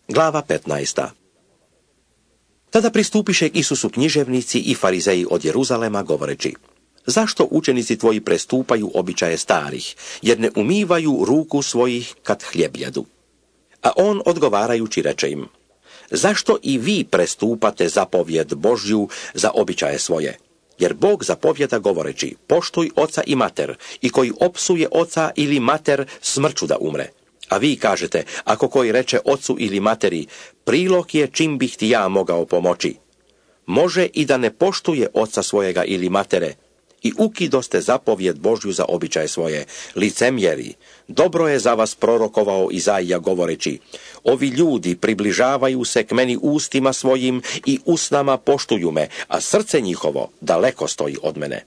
Glava 15. Tada pristúpiše k Isusu kniževníci i farizeji od Jeruzalema govoreči: Zašto učenici tvoji prestúpajú obyčaje stárych, jer ne umývajú rúku svojich, kad chlieb jedu? A on odgovárajući reče im: Zašto i vi prestúpate zapovjed Božju za obyčaje svoje? Jer Bog zapovjeda govoreči: Poštuj oca i mater, i koji opsuje oca ili mater, smrću da umre. A vi kažete, ako koji reče ocu ili materi: Prilog je čim bih ti ja mogao pomoći. Može i da ne poštuje oca svojega ili matere, i ukidoste zapovjed Božju za običaje svoje. Licemjeri, dobro je za vas prorokovao Izaija govoreći: Ovi ljudi približavaju se k meni ustima svojim i usnama poštuju me, a srce njihovo daleko stoji od mene.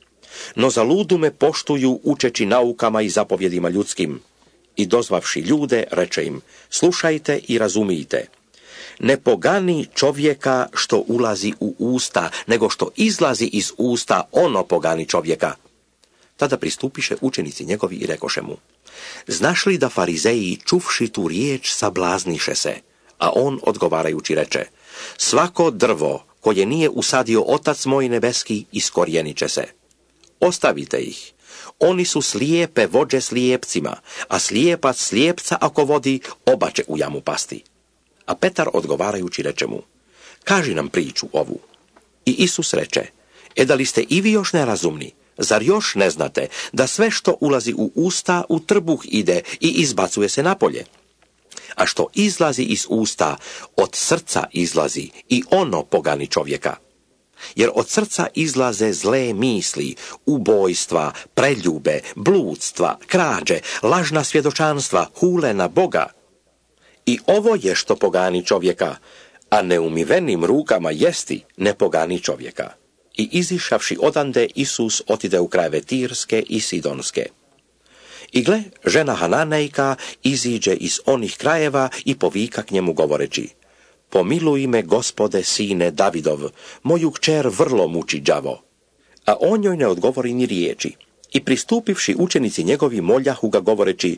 No za ludu me poštuju učeći naukama i zapovjedima ljudskim. I dozvavši ljude, reče im: Slušajte i razumijte. Ne pogani čovjeka što ulazi u usta, nego što izlazi iz usta, ono pogani čovjeka. Tada pristupiše učenici njegovi i rekoše mu: Znaš li da farizeji, čuvši tu riječ, sablazniše se? A on odgovarajući reče: Svako drvo koje nije usadio Otac moj nebeski, iskorijenit će se. Ostavite ih. Oni su slijepe vođe slijepcima, a slijepac slijepca ako vodi, oba će u jamu pasti. A Petar odgovarajući reče mu: Kaži nam priču ovu. I Isus reče: Da li ste i vi još nerazumni? Zar još ne znate da sve što ulazi u usta u trbuh ide i izbacuje se napolje? A što izlazi iz usta, od srca izlazi, i ono pogani čovjeka. Jer od srca izlaze zle misli, ubojstva, preljube, bludstva, krađe, lažna svjedočanstva, hule na Boga. I ovo je što pogani čovjeka, a neumivenim rukama jesti ne pogani čovjeka. I izišavši odande, Isus otide u krajeve Tirske i Sidonske. I gle, žena Hananejka iziđe iz onih krajeva i povika k njemu govoreći: Pomiluj me, Gospode, sine Davidov, moju kćer vrlo muči đavo. A on joj ne odgovori ni riječi. I pristupivši učenici njegovi moljahu ga govoreći: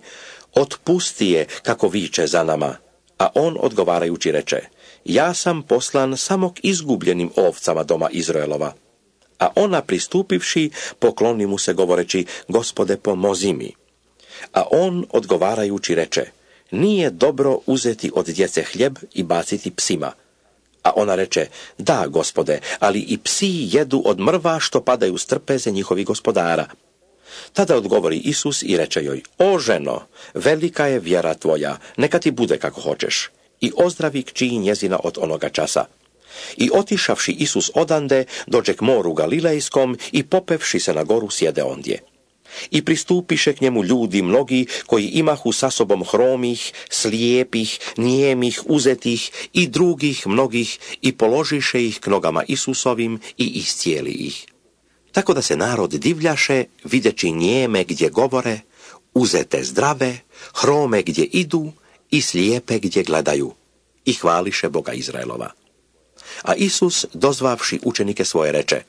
Otpusti je, kako viče za nama. A on odgovarajući reče: Ja sam poslan samo k izgubljenim ovcama doma Izraelova. A ona pristupivši pokloni mu se govoreći: Gospode, pomozi mi. A on odgovarajući reče: Nije dobro uzeti od djece hljeb i baciti psima. A ona reče: Da, Gospode, ali i psi jedu od mrva što padaju s trpeze njihovi gospodara. Tada odgovori Isus i reče joj: O ženo, velika je vjera tvoja, neka ti bude kako hoćeš. I ozdravi kći njezina od onoga časa. I otišavši Isus odande, dođe k moru Galilejskom i popevši se na goru sjede ondje. I pristupiše k njemu ljudi mnogi koji imahu sa sobom hromih, slijepih, nijemih, uzetih i drugih mnogih, i položiše ih k nogama Isusovim i iscijeli ih. Tako da se narod divljaše, videći nijeme gdje govore, uzete zdrave, hrome gdje idu i slijepe gdje gledaju, i hvališe Boga Izraelova. A Isus, dozvavši učenike svoje, reče: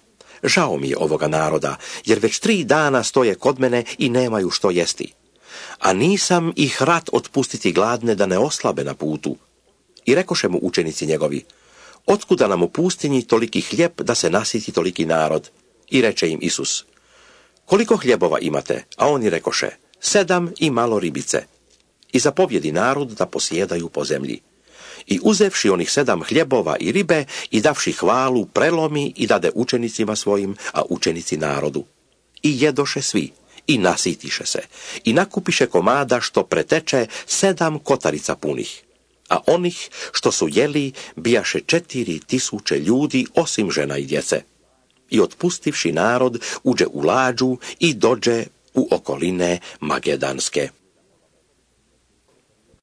Žao mi je ovoga naroda, jer već 3 dana stoje kod mene i nemaju što jesti. A nisam ih rad otpustiti gladne da ne oslabe na putu. I rekoše mu učenici njegovi: Otkuda nam u pustinji toliki hljeb da se nasiti toliki narod? I reče im Isus: Koliko hljebova imate? A oni rekoše: 7 i malo ribice. I zapovjedi narod da posjedaju po zemlji. I uzevši onih 7 hljebova i ribe i davši hvalu, prelomi i dade učenicima svojim, a učenici narodu. I jedoše svi, i nasitiše se, i nakupiše komada što preteče 7 kotarica punih. A onih što su jeli bijaše 4.000 ljudi, osim žena i djece. I otpustivši narod, uđe u lađu i dođe u okoline Magedanske.